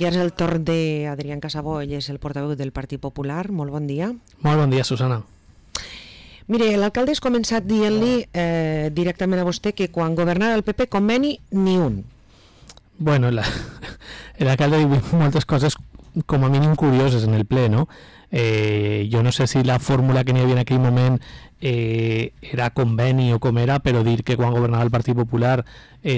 I ara és el torn d'Adrián Casabó, ell és el portaveu del Partit Popular. Molt bon dia. Molt bon dia, Susana. Mire, l'alcalde ha començat dient-li directament a vostè que quan governava el PP conveni ni un. Bueno, l'alcalde diu moltes coses com a mínim curioses en el ple, no? Jo no sé si la fórmula que n'hi havia en aquell moment era conveni o com era, però dir que quan governava el Partit Popular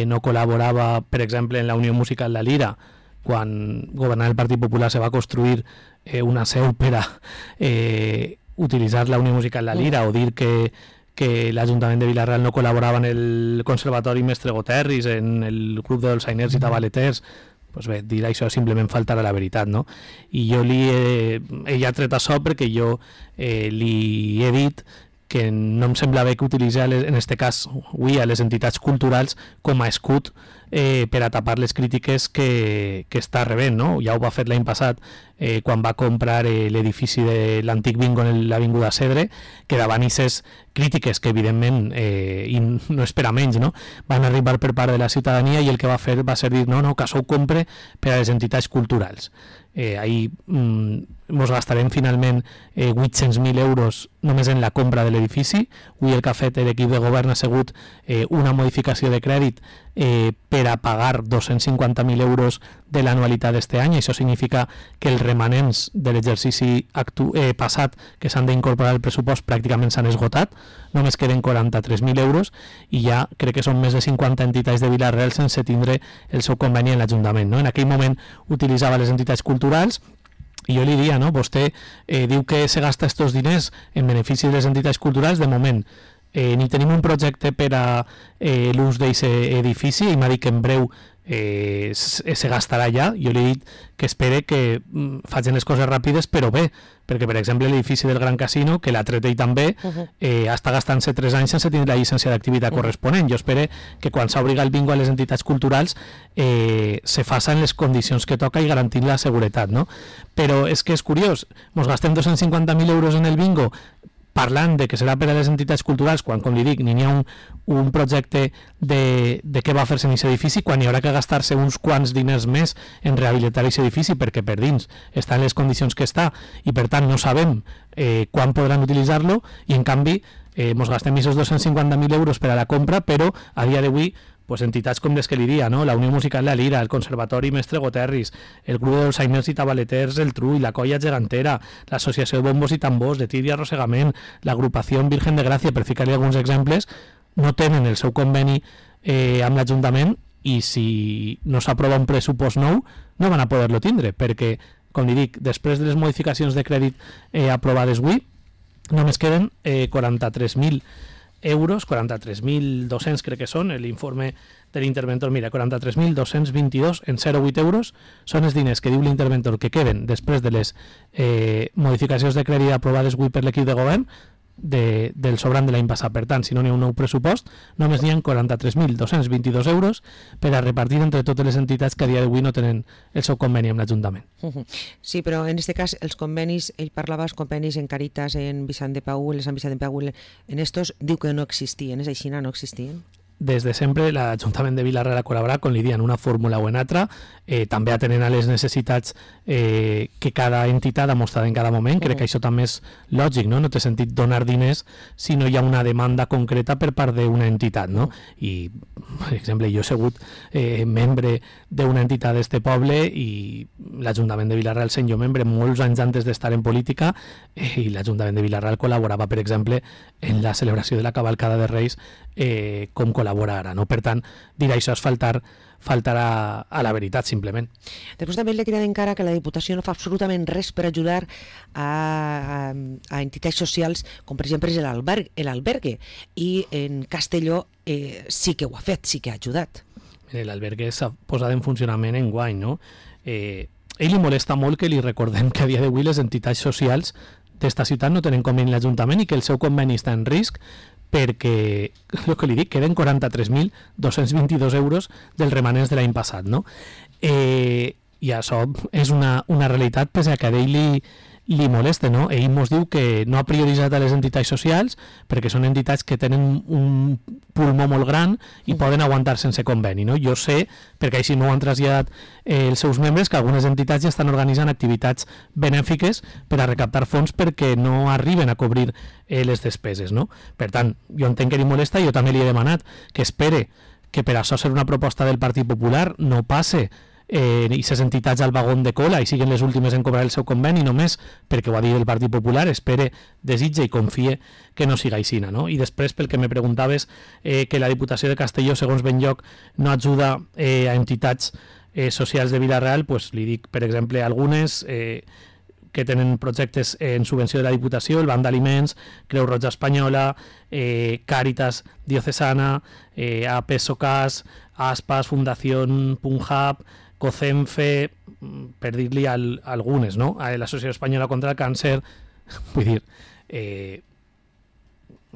no col·laborava, per exemple, en la Unió Musical La Lira, quan governava el Partit Popular se va construir una seu per a utilitzar la Unió Musical La Lira, o dir que l'Ajuntament de Vila-real no col·laborava en el Conservatori Mestre Goterris, en el grup de dolçainers i tabaleters. Pues bé, dir això simplement faltar a la veritat, no? I jo ella ha tret això perquè jo li he dit que no em sembla bé que utilitzi, en aquest cas, avui, a les entitats culturals com a escut per a tapar les crítiques que està rebent, no? Ja ho va fer l'any passat quan va comprar l'edifici de l'antic bingo en l'Avinguda Cedre, que davant aquestes crítiques que evidentment, i no és per a menys, no? Van arribar per part de la ciutadania, i el que va fer va ser dir no, que això ho compre per a les entitats culturals. Ahí ens gastarem finalment 800.000 euros només en la compra de l'edifici. Avui el que ha fet l'equip de govern ha sigut una modificació de crèdit per a pagar 250.000 euros de l'anualitat d'este any. Això significa que els remanents de l'exercici passat que s'han d'incorporar al pressupost pràcticament s'han esgotat, només queden 43.000 euros, i ja crec que són més de 50 entitats de Vila-real sense tindre el seu conveni en l'Ajuntament, no? En aquell moment utilitzava les entitats culturals, i jo li diria, no? Vostè diu que se gasta estos diners en benefici de les entitats culturals. De moment ni tenim un projecte per a l'ús d'aquest edifici, i m'ha dit que en breu se gastarà ja. Jo li he dit que espere que facin les coses ràpides, però bé, perquè per exemple l'edifici del Gran Casino, que l'ha tret ell també, està gastant-se 3 anys sense tenir la llicència d'activitat corresponent. Jo espero que quan s'obriga el bingo a les entitats culturals se faça en les condicions que toca i garantint la seguretat, no? Però és que és curiós, ens gastem 250.000 euros en el bingo parlant de que serà per a les entitats culturals, quan, com li dic, n'hi ha un projecte de què va fer-se en aquest edifici, quan hi haurà que gastar-se uns quants diners més en rehabilitar aquest edifici, perquè per dins està en les condicions que està, i per tant no sabem quan podran utilitzar-lo, i en canvi ens gastem aquests 250.000 euros per a la compra, però a dia d'avui pues entitats com les que li dia, no? La Unió Musical La Lira, el Conservatori Mestre Goterris, el grup de dolçainers i tabaleters El Trull, la Colla Gegantera, l'Associació de Bombos i Tambors, de Tir i Arrossegament, l'Agrupació Virgen de Gràcia, per ficar-li alguns exemples, no tenen el seu conveni amb l'Ajuntament, i si no s'aprova un pressupost nou no van a poder-lo tindre, perquè, com li dic, després de les modificacions de crèdit aprovades avui, només queden 43.000 euros, 43.200 crec que són, l'informe de l'interventor, mira, 43.222 en 0,8 euros, són els diners que diu l'interventor que queden després de les modificacions de crèdit aprovades avui per l'equip de govern del sobrant de l'any passat. Per tant, si no n'hi ha un nou pressupost, només n'hi ha 43.222 euros per a repartir entre totes les entitats que a dia d'avui no tenen el seu conveni amb l'Ajuntament. Sí, però en aquest cas els convenis, ell parlava dels convenis en Caritas, en Vicent de Paül, en Sant Vicent de Paül, en estos diu que no existien, és així, no existien? Des de sempre l'Ajuntament de Vila-real ha col·laborat, com li diuen, una fórmula o en altra, també atenent a les necessitats que cada entitat ha mostrat en cada moment. Crec que això també és lògic, no? No té sentit donar diners si no hi ha una demanda concreta per part d'una entitat, no? I, per exemple, jo he sigut membre d'una entitat d'este poble, i l'Ajuntament de Vila-real sent jo membre molts anys antes d'estar en política, i l'Ajuntament de Vila-real col·laborava, per exemple, en la celebració de la cavalcada de Reis, com col·labora ara, no? Per tant, dir això és faltar a la veritat, simplement. Després també li queda encara que la Diputació no fa absolutament res per ajudar a entitats socials, com per exemple és l'albergue, i en Castelló sí que ho ha fet, sí que ha ajudat. L'albergue s'ha posat en funcionament enguany, no? Ell li molesta molt que li recordem que a dia d'avui les entitats socials d'esta ciutat no tenen conveni amb l'Ajuntament i que el seu conveni està en risc, perquè, el que li dic, queden 43.222 euros dels remanents de l'any passat, no? I això és una realitat, pese a que a ell li molesta, no? Ell ens diu que no ha prioritzat a les entitats socials perquè són entitats que tenen un pulmó molt gran i poden aguantar sense conveni, no? Jo sé, perquè així no ho han traslladat els seus membres, que algunes entitats ja estan organitzant activitats benèfiques per a recaptar fons perquè no arriben a cobrir les despeses, no? Per tant, jo entenc que li molesta, jo també li he demanat que espere que per això ser una proposta del Partit Popular no passe i ses entitats al vagón de cola i siguin les últimes en cobrar el seu conveni només perquè ho ha dit el Partit Popular, espere, desitja i confie que no siga aixina, no? I després, pel que me preguntaves, que la Diputació de Castelló, segons Benlloc, no ajuda a entitats socials de Vila-real, pues li dic, per exemple, algunes que tenen projectes en subvenció de la Diputació, el Banc d'Aliments, Creu Roja Espanyola, Càritas Diocesana, APSOCAS, ASPAS, Fundació Punjab, COCENFE, per dir-li algunes, no? L'Associació Espanyola contra el Càncer, vull dir,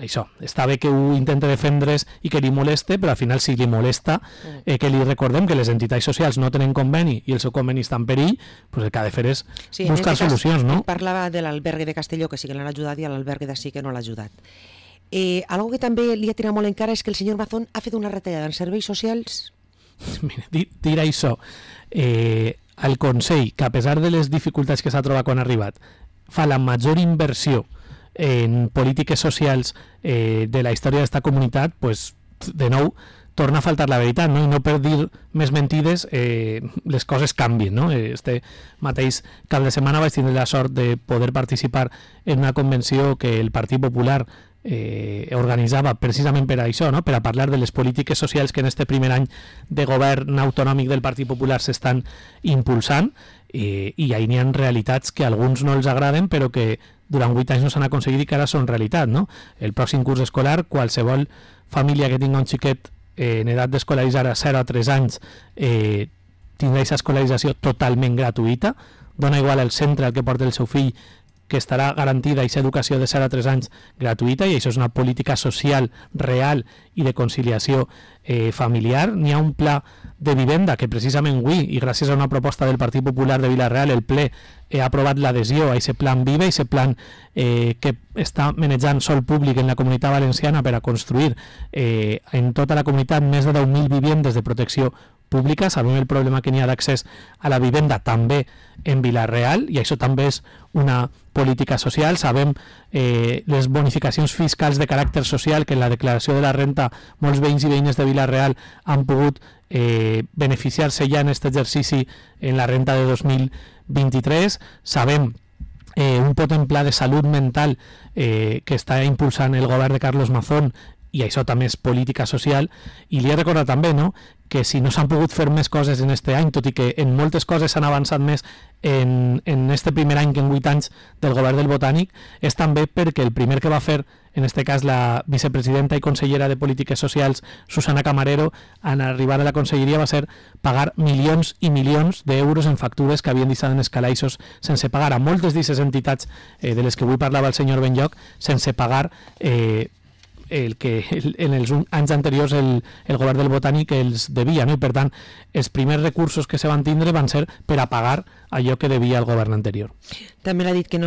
això, està bé que ho intenta defendre's i que li moleste, però al final si li molesta que li recordem que les entitats socials no tenen conveni i el seu conveni està en perill, pues el que ha de fer és buscar solucions, no? Parlava de l'albergue de Castelló, que sí que l'han ajudat, i a l'albergue de sí que no l'ha ajudat. Algo que també li ha tirat molt en cara és que el senyor Mazón ha fet una retallada en serveis socials. Mira, dir això, el Consell, que a pesar de les dificultats que s'ha trobat quan ha arribat, fa la major inversió en polítiques socials de la història d'esta comunitat, pues, de nou, torna a faltar la veritat, no? I no per dir més mentides les coses canvien, no? Este mateix cap de setmana vaig tindre la sort de poder participar en una convenció que el Partit Popular organitzava precisament per això, no? Per a parlar de les polítiques socials que en este primer any de govern autonòmic del Partit Popular s'estan impulsant, i ahí n'hi ha realitats que a alguns no els agraden però que durant 8 anys no s'han aconseguit i que ara són realitat, no? El pròxim curs escolar, qualsevol família que tinga un xiquet en edat d'escolaritzar a 0 a 3 anys tindrà aquesta escolarització totalment gratuïta, dona igual el centre al que porta el seu fill, que estarà garantida aquesta educació de 0 a 3 anys gratuïta, i això és una política social real i de conciliació familiar. N'hi ha un pla de vivenda que precisament avui, i gràcies a una proposta del Partit Popular de Vila-real, el ple ha aprovat l'adhesió a aquest plan Vive, aquest plan que està manejant sol públic en la Comunitat Valenciana per a construir en tota la comunitat més de 10.000 vivendes de protecció pública. Sabem el problema que n'hi ha d'accés a la vivenda també en Vila-real, i això també és una política social. Sabem les bonificacions fiscals de caràcter social que en la declaració de la renta molts veïns i veïnes de Vila-real han pogut beneficiar-se ja en aquest exercici en la renta de 2023. Sabem un potent pla de salut mental que està impulsant el govern de Carlos Mazón, i això també és política social. I li he recordat també, no?, que si no s'han pogut fer més coses en este any, tot i que en moltes coses s'han avançat més en este primer any que en 8 anys del govern del Botànic, és també perquè el primer que va fer, en este cas la vicepresidenta i consellera de Polítiques Socials, Susana Camarero, en arribar a la conselleria va ser pagar milions i milions d'euros en factures que havien deixat en els calaixos sense pagar a moltes d'aquestes entitats de les que avui parlava el senyor Benlloc, sense pagar el que en els anys anteriors el govern del Botànic els devia, no? I per tant els primers recursos que se van tindre van ser per a pagar allò que devia el govern anterior. També l'ha dit que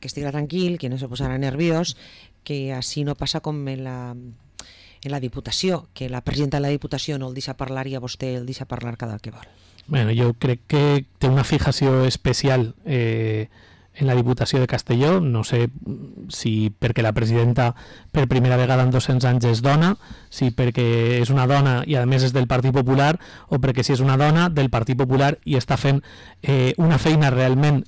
estigui tranquil, que no se posarà nerviós, que així no passa com en la Diputació, que la presidenta de la Diputació no el deixa parlar i a vostè el deixa parlar cada que vol. Bueno, jo crec que té una fijació especial en la Diputació de Castelló, no sé si perquè la presidenta per primera vegada en 200 anys és dona, si perquè és una dona i a més és del Partit Popular, o perquè si és una dona del Partit Popular i està fent una feina realment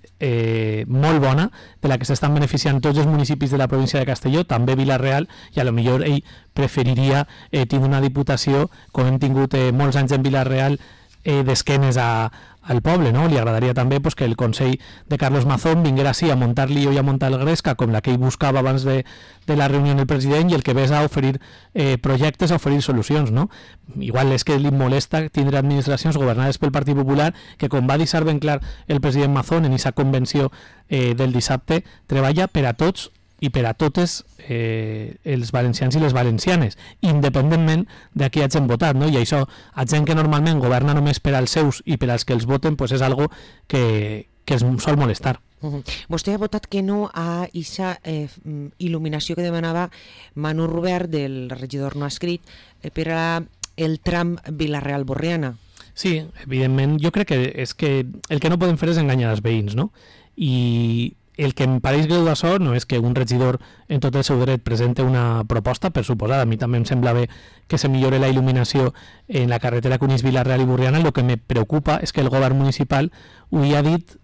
molt bona, de la que s'estan beneficiant tots els municipis de la província de Castelló, també Vila-real, i a lo millor ell preferiria tindre una diputació, com hem tingut molts anys en Vila-real, d'esquenes al poble, no? Li agradaria també pues, que el Consell de Carlos Mazón vinguera així a muntar lío i a muntar el Gresca, com la que ell buscava abans de la reunió del president, i el que ves a oferir projectes, a oferir solucions, no? Igual és que li molesta tindre administracions governades pel Partit Popular que, com va deixar ben clar el president Mazón en aquesta convenció del dissabte, treballa per a tots i per a totes els valencians i les valencianes, independentment de qui hagin votat, no? I això, a gent que normalment governa només per als seus i per als que els voten, pues és algo que es sol molestar. Vostè ha votat que no a aquesta il·luminació que demanava Manu Robert, del regidor no escrit, per a el tram Vila-real-Borriana. Sí, evidentment, jo crec que és que el que no podem fer és enganyar els veïns, no? I el que em pareix greu d'això no és que un regidor en tot el seu dret presente una proposta, per suposada, a mi també em sembla bé que se millore la il·luminació en la carretera que unís Vila-real i Borriana. El que me preocupa és que el govern municipal li ha dit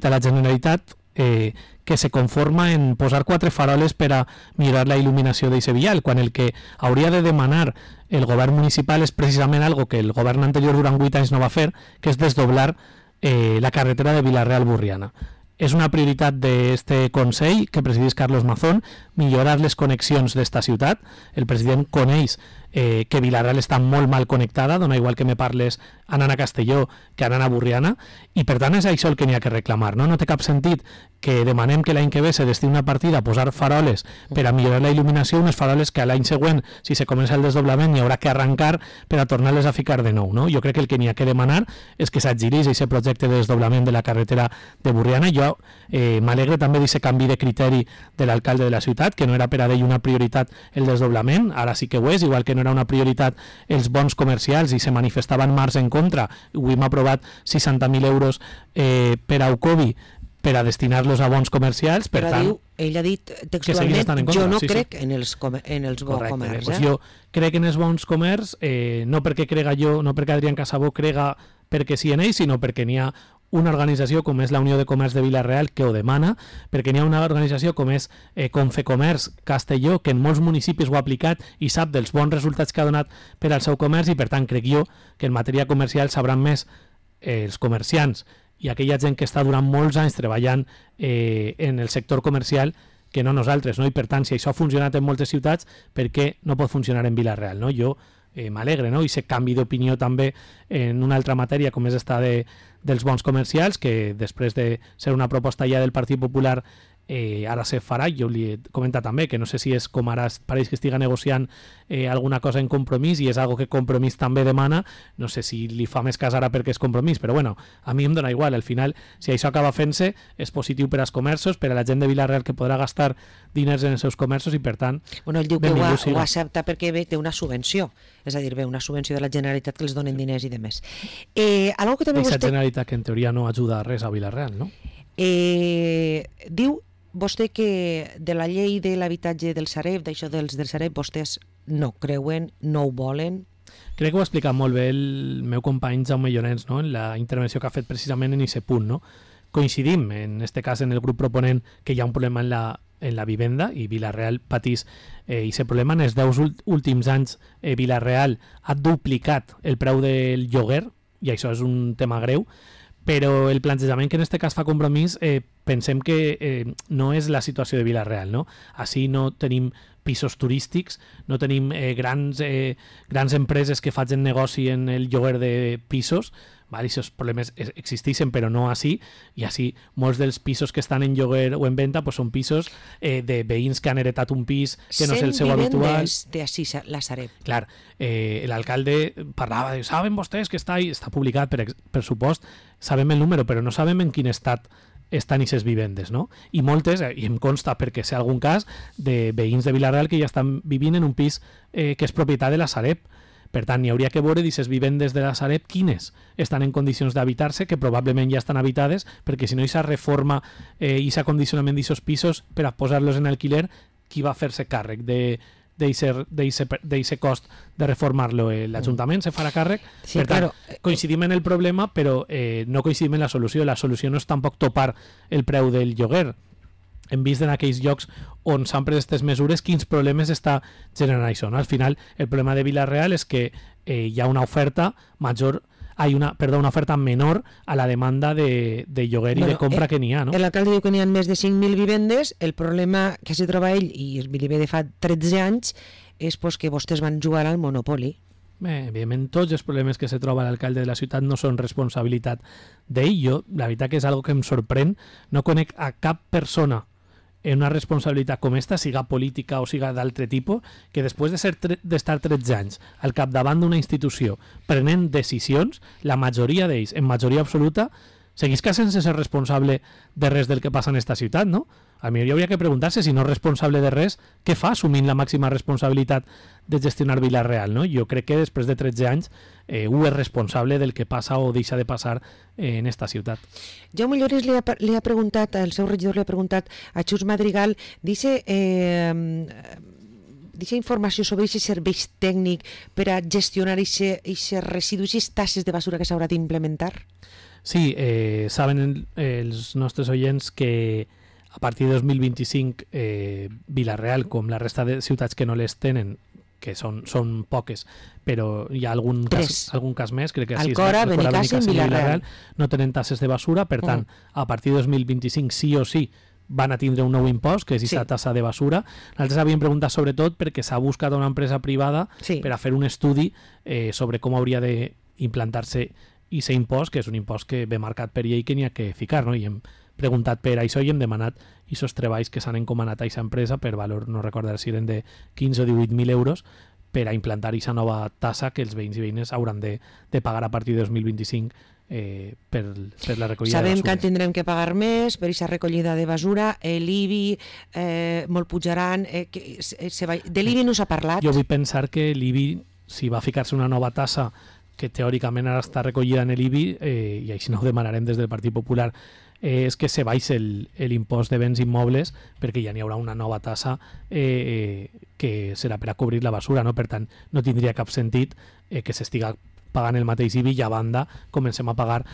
a la Generalitat que se conforma en posar 4 faroles per a millorar la il·luminació d'aquest vial, quan el que hauria de demanar el govern municipal és precisament algo que el govern anterior durant 8 anys no va fer, que és desdoblar la carretera de Vila-real-Borriana. És una prioritat d'este Consell que presideix Carlos Mazón, millorar les connexions d'esta ciutat. El president coneix que Vila-real està molt mal connectada, dona igual que me parles anant a Castelló que anant a Borriana, i per tant és això el que n'hi ha que reclamar. No té cap sentit que demanem que l'any que ve se destini una partida a posar faroles per a millorar la il·luminació, unes faroles que l'any següent, si se comença el desdoblament, hi haurà que arrencar per a tornar-les a ficar de nou. No? Jo crec que el que n'hi ha que demanar és que s'agilitzi aquest projecte de desdoblament de la carretera de Borriana. Jo m'alegre també d'aquest canvi de criteri de l'alcalde de la ciutat, que no era per a ell una prioritat el desdoblament, ara sí que ho és, igual que no era una prioritat els bons comercials i se manifestava en març en contra. Avui hem aprovat 60.000 euros per a Ucovi per a destinar-los a bons comercials. Per tant, ell ha dit textualment, jo no crec en els bons comerç. Pues jo crec en els bons comerç, no perquè crega jo, no perquè Adrián Casabó crega perquè sí en ell, sinó perquè n'hi ha una organització com és la Unió de Comerç de Vila-real que ho demana, perquè n'hi ha una organització com és Confecomerç Castelló, que en molts municipis ho ha aplicat i sap dels bons resultats que ha donat per al seu comerç, i per tant crec jo que en matèria comercial sabran més els comerciants i aquella gent que està durant molts anys treballant en el sector comercial que no nosaltres, no? I per tant, si això ha funcionat en moltes ciutats, per què no pot funcionar en Vila-real, no? Jo m'alegre, no? I aquest canvi d'opinió també en una altra matèria com és esta dels bons comercials, que després de ser una proposta ja del Partit Popular ara se farà. Jo li he comentat també que no sé si és com ara pareix que estiga negociant alguna cosa en Compromís, i és algo que Compromís també demana. No sé si li fa més cas ara perquè és Compromís, però bueno, a mi em dona igual. Al final, si això acaba fent-se, és positiu per als comerços, per a la gent de Vila-real que podrà gastar diners en els seus comerços, i per tant... Bueno, ell diu que ho accepta perquè té una subvenció, és a dir, una subvenció de la Generalitat que els donen diners i demés. Algo que també vostè... Generalitat que en teoria no ajuda a res a Vila-real, no? Diu vostè que de la llei de l'habitatge del Sareb, d'això del Sareb, vostès no creuen, no ho volen? Crec que ho ha explicat molt bé el meu company Jaume Llorens, no? En la intervenció que ha fet precisament en aquest punt. No? Coincidim, en aquest cas en el grup proponent, que hi ha un problema en la vivenda, i Vila-real patís aquest problema. En els 10 últims anys Vila-real ha duplicat el preu del lloguer, i això és un tema greu, però el plantejament que en aquest cas fa Compromís pensem que no és la situació de Vila-real, no? Així no tenim pisos turístics, no tenim grans empreses que facin negoci en el lloguer de pisos, vale? Aquests problemes existeixen, però no així, i així molts dels pisos que estan en lloguer o en venda pues, són pisos de veïns que han heretat un pis que no és el seu habitual. 100 vivendes de així la Sareb. Clar, l'alcalde parlava de, saben vostès que està publicat, per supost, sabem el número, però no sabem en quin estat estan aquestes vivendes, no? I moltes, i em consta perquè sé algun cas, de veïns de Vila-real que ja estan vivint en un pis que és propietat de la Sareb. Per tant, n'hi hauria que veure d'aquestes vivendes de la Sareb quines estan en condicions d'habitar-se, que probablement ja estan habitades, perquè si no hi s'ha reforma i s'ha condicionament d'aquests pisos per a posar-los en alquiler, qui va fer-se càrrec d'aquest cost de reformar-lo? L'Ajuntament se farà càrrec. Sí, per tant, coincidim en el problema, però no coincidim en la solució. La solució no és tampoc topar el preu del lloguer. Hem vist en aquells llocs on s'han pres aquestes mesures quins problemes està generant això. No? Al final, el problema de Vila-real és que hi ha una oferta major, una oferta menor a la demanda de lloguer i de compra que n'hi ha. No? L'alcalde diu que n'hi ha més de 5.000 vivendes. El problema que s'hi troba ell, i li ve de fa 13 anys, és pues, que vostès van jugar al Monopoli. Bé, evidentment, tots els problemes que se troba l'alcalde de la ciutat no són responsabilitat d'ell. Jo, la veritat que és algo que em sorprèn. No conec a cap persona en una responsabilitat com esta, siga política o siga d'altre tipus, que després d'estar 13 anys al capdavant d'una institució prenent decisions, la majoria d'ells, en majoria absoluta, seguisca sense ser responsable de res del que passa en esta ciutat, no? A mi hi hauria que preguntar-se, si no és responsable de res, què fa assumint la màxima responsabilitat de gestionar Vila-real, no? Jo crec que després de 13 anys ho és responsable del que passa o deixa de passar en esta ciutat. Jaume Lloris li ha preguntat, el seu regidor li ha preguntat a Xus Madrigal, dice informació sobre aquest servei tècnic per a gestionar aquests residus i tasses de basura que s'haurà d'implementar? Sí, saben els nostres oients que a partir de 2025 Vila-real, com la resta de ciutats que no les tenen, que són poques, però hi ha algun cas més, crec que Alcora, Benicàssim i Vila-real, no tenen tasses de basura, per tant, a partir de 2025 sí o sí van a tindre un nou impost, que és aquesta tassa de basura. Nosaltres havíem preguntat sobretot perquè s'ha buscat una empresa privada per a fer un estudi sobre com hauria d'implantar-se aquest impost, que és un impost que ve marcat per llei que n'hi ha que ficar, no? I hem preguntat per això i hem demanat aquests treballs que s'han encomanat a aquesta empresa per valor, no recordar si eren de 15 o 18.000 euros, per a implantar aquesta nova tassa que els veïns i veïnes hauran de pagar a partir de 2025 per la recollida de basura. Sabem que tindrem que pagar més per aquesta recollida de basura, l'IBI molt pujaran, de l'IBI no s'ha parlat. Jo vull pensar que l'IBI, si va ficar-se una nova tassa que teòricament ara està recollida en l'IBI, i així no ho demanarem des del Partit Popular, és que se baixi l'impost de béns immobles, perquè ja n'hi haurà una nova tassa que serà per a cobrir la basura, no? Per tant, no tindria cap sentit que s'estiga pagant el mateix IBI i a banda comencem a pagar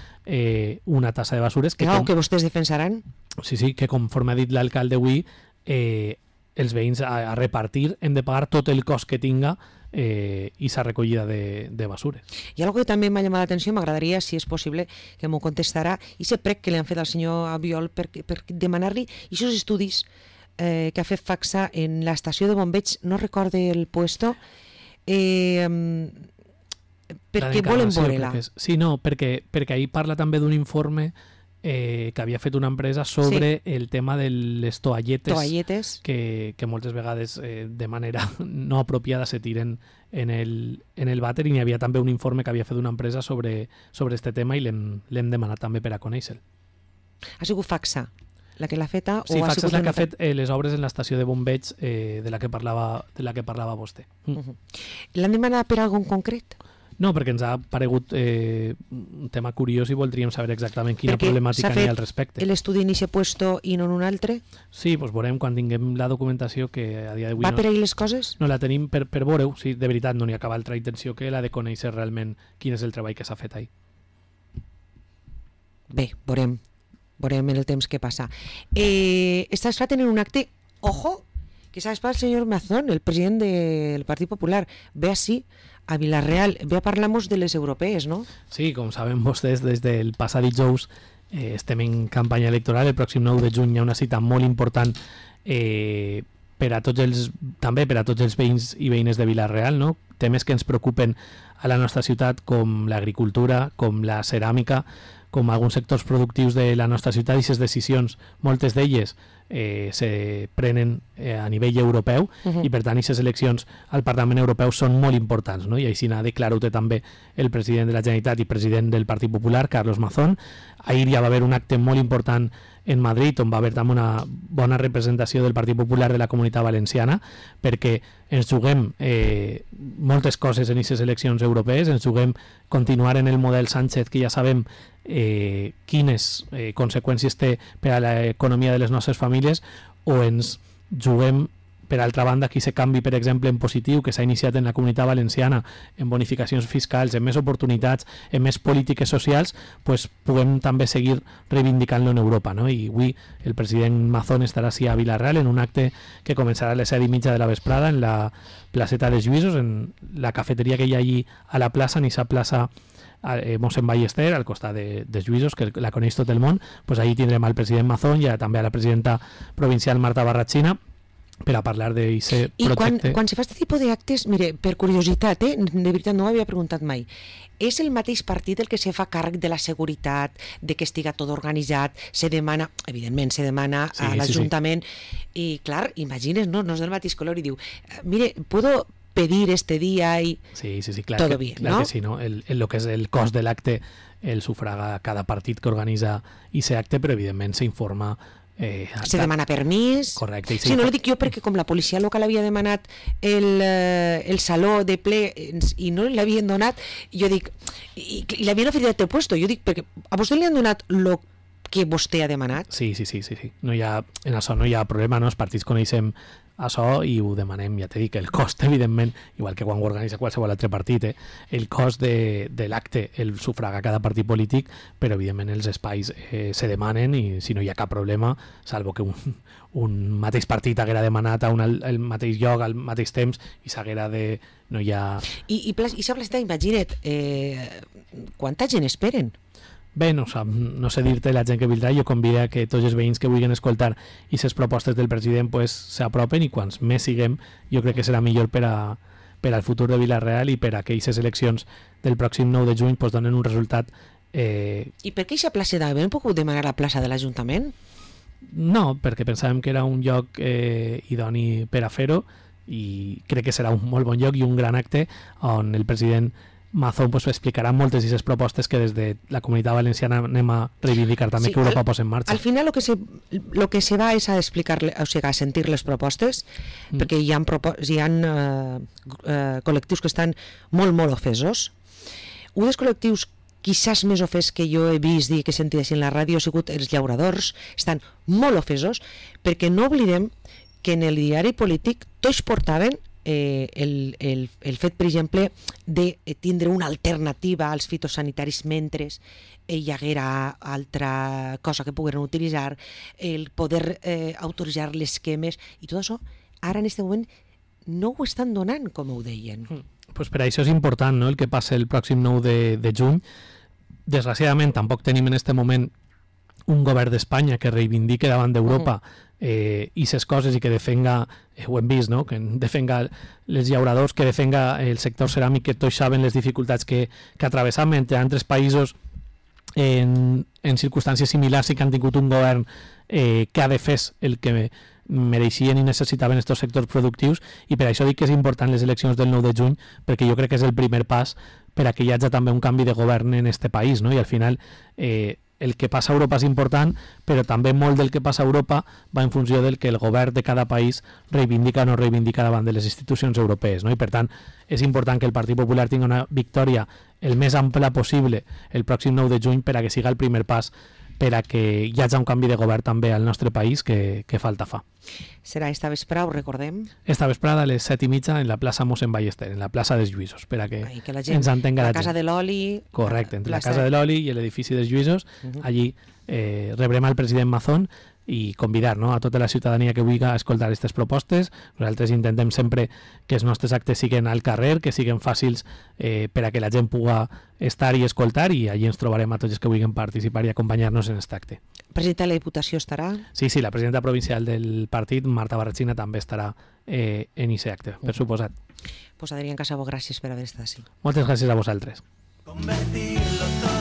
una tassa de basures que vostès defensaran. Sí, que conforme ha dit l'alcalde avui, els veïns a repartir hem de pagar tot el cost que tinga i sa recollida de basures. I algo que també m'ha llamat l'atenció, m'agradaria, si és possible, que m'ho contestarà, i aquest prec que li han fet al senyor Albiol per demanar-li aquests estudis que ha fet FACSA en l'estació de bombeig, no recorde el puesto, perquè volen veure-la. Sí, no, perquè ahir parla també d'un informe que havia fet una empresa sobre el tema de les toalletes que moltes vegades de manera no apropiada se tiren en el vàter, i n'hi havia també un informe que havia fet una empresa sobre este tema i l'hem demanat també per a conèixer-lo. Ha sigut FACSA la que l'ha feta? Sí, FACSA és la que ha fet les obres en l'estació de bombeig de la que parlava vostè. L'han demanat per algun concret? No, perquè ens ha paregut un tema curiós i voldríem saber exactament quina problemàtica n'hi ha al respecte. Perquè s'ha fet l'estudi en aquest puesto i no en un altre? Sí, doncs veurem quan tinguem la documentació, que a dia d'avui va per ahir les coses? No la tenim per veure-ho. Sí, de veritat no n'hi ha cap altra intenció que la de conèixer realment quin és el treball que s'ha fet ahir. Bé, veurem en el temps que passa. Estàs fent en un acte, ojo, que s'ha espat el senyor Mazón, el president del Partit Popular, ve així a Vila-real, ve a parlar-nos de les europees, no? Sí, com saben vostès, des del passat dijous estem en campanya electoral. El pròxim 9 de juny hi ha una cita molt important també per a tots els veïns i veïnes de Vila-real, no? Temes que ens preocupen a la nostra ciutat, com l'agricultura, com la ceràmica, com alguns sectors productius de la nostra ciutat, i aquestes decisions, moltes d'elles se prenen a nivell europeu, i per tant aquestes eleccions al Parlament Europeu són molt importants, no? I així n'ha declarat també el president de la Generalitat i president del Partit Popular, Carlos Mazón. Ahir ja va haver un acte molt important en Madrid, on va haver també una bona representació del Partit Popular de la Comunitat Valenciana, perquè ens juguem moltes coses en aquestes eleccions europees, ens juguem continuar en el model Sánchez, que ja sabem quines conseqüències té per a l'economia de les nostres famílies, o ens juguem, per altra banda, que aquest canvi, per exemple, en positiu que s'ha iniciat en la Comunitat Valenciana, en bonificacions fiscals, en més oportunitats, en més polítiques socials, pues puguem també seguir reivindicant-lo en Europa, no? I avui el president Mazón estarà així a Vila-real en un acte que començarà a les 7:30 de la vesprada en la placeta dels Lluïsos, en la cafeteria que hi ha allí a la plaça, en aquesta plaça Mossèn Ballester, al costat de Lluïsos, que la coneix tot el món. Pues allí tindrem al president Mazón i també a la presidenta provincial Marta Barratxina per a parlar d'aquest projecte. I quan se fa aquest tipus d'actes, mire, per curiositat, de veritat no ho havia preguntat mai, és el mateix partit el que se fa càrrec de la seguretat, de que estiga tot organitzat, se demana, evidentment, a l'Ajuntament, i clar, imagines, no és del mateix color, i diu, mire, puedo pedir este día y sí, clar, todo bien, clar ¿no? Que sí, no? Lo que és el cost de l'acte el sufraga cada partit que organitza aquest acte, però evidentment s'informa se demana permís. Correcte. Sí, no ho dic jo perquè com la policia local havia demanat el saló de ple i no l'havien donat, jo dic, i l'havien oferit de puesto, jo dic, perquè a vostè li han donat lo que vostè ha demanat? Sí. No hi ha, en això no hi ha problema, no? Els partits coneixem això i ho demanem, ja t'he dit que el cost, evidentment, igual que quan ho organitza qualsevol altre partit, el cost de l'acte el sufraga cada partit polític, però evidentment els espais se demanen i si no hi ha cap problema, salvo que un mateix partit haguera demanat el mateix lloc al mateix temps i s'haguera de... no hi ha... I s'ha plantat, imagina't, quanta gent esperen? Bé, no sé dir-te la gent que vindrà, jo convido a que tots els veïns que vulguin escoltar i les propostes del president pues, s'apropen i quants més siguem jo crec que serà millor per al futur de Vila-real i per a que aquestes eleccions del pròxim 9 de juny pues, donen un resultat. I per què aquesta plaça d'Avent? Hem pogut demanar la plaça de l'Ajuntament? No, perquè pensàvem que era un lloc idoni per a fer-ho i crec que serà un molt bon lloc i un gran acte on el president Mazón pues, explicarà moltes d'aquestes propostes que des de la Comunitat Valenciana anem a reivindicar també que Europa posa en marxa. Al final lo que se va és a explicar, o sigui, a sentir les propostes, perquè hi ha col·lectius que estan molt ofesos. Un dels col·lectius quizás més ofès que jo he vist i que he sentit així en la ràdio ha sigut els llauradors, estan molt ofesos perquè no oblidem que en el diari polític tots portaven el fet, per exemple, de tindre una alternativa als fitosanitaris mentre hi haguera altra cosa que pogueren utilitzar, el poder autoritzar les quemes i tot això, ara en aquest moment no ho estan donant, com ho deien. Pues per això és important, no?, el que passa el pròxim 9 de juny. Desgraciadament tampoc tenim en aquest moment un govern d'Espanya que reivindique davant d'Europa i ses coses i que defenga, ho hem vist, no?, que defenga els llauradors, que defenga el sector ceràmic, que tots saben les dificultats que atravessam entre altres països en circumstàncies similars i que han tingut un govern que ha defès el que mereixien i necessitaven aquests sectors productius i per això dic que és important les eleccions del 9 de juny perquè jo crec que és el primer pas per a que hi hagi també un canvi de govern en este país, no? I al final el que passa a Europa és important, però també molt del que passa a Europa va en funció del que el govern de cada país reivindica o no reivindica davant de les institucions europees, no? I per tant és important que el Partit Popular tingui una victòria el més ampla possible el pròxim 9 de juny per a que siga el primer pas per a que hi hagi un canvi de govern també al nostre país que falta fa. Serà esta vesprada, ho recordem? Esta vesprada a les 7:30 en la plaça Mossèn Ballester, en la plaça dels Lluïsos, per a que ens entenga la gent. La casa de l'oli... Correcte, entre la casa de l'oli i l'edifici dels Lluïsos, allí rebrem al president Mazón i convidar, no?, a tota la ciutadania que vulgui escoltar aquestes propostes. Nosaltres intentem sempre que els nostres actes siguin al carrer, que siguin fàcils per a que la gent pugui estar i escoltar i allí ens trobarem a tots els que vulguin participar i acompanyar-nos en aquest acte. Presidenta de la Diputació estarà? Sí, la presidenta provincial del partit, Marta Barratxina, també estarà en aquest acte, per suposat. Pues Adrián Casabo, gràcies per haver estat així. Moltes gràcies a vosaltres. Convertirlo todo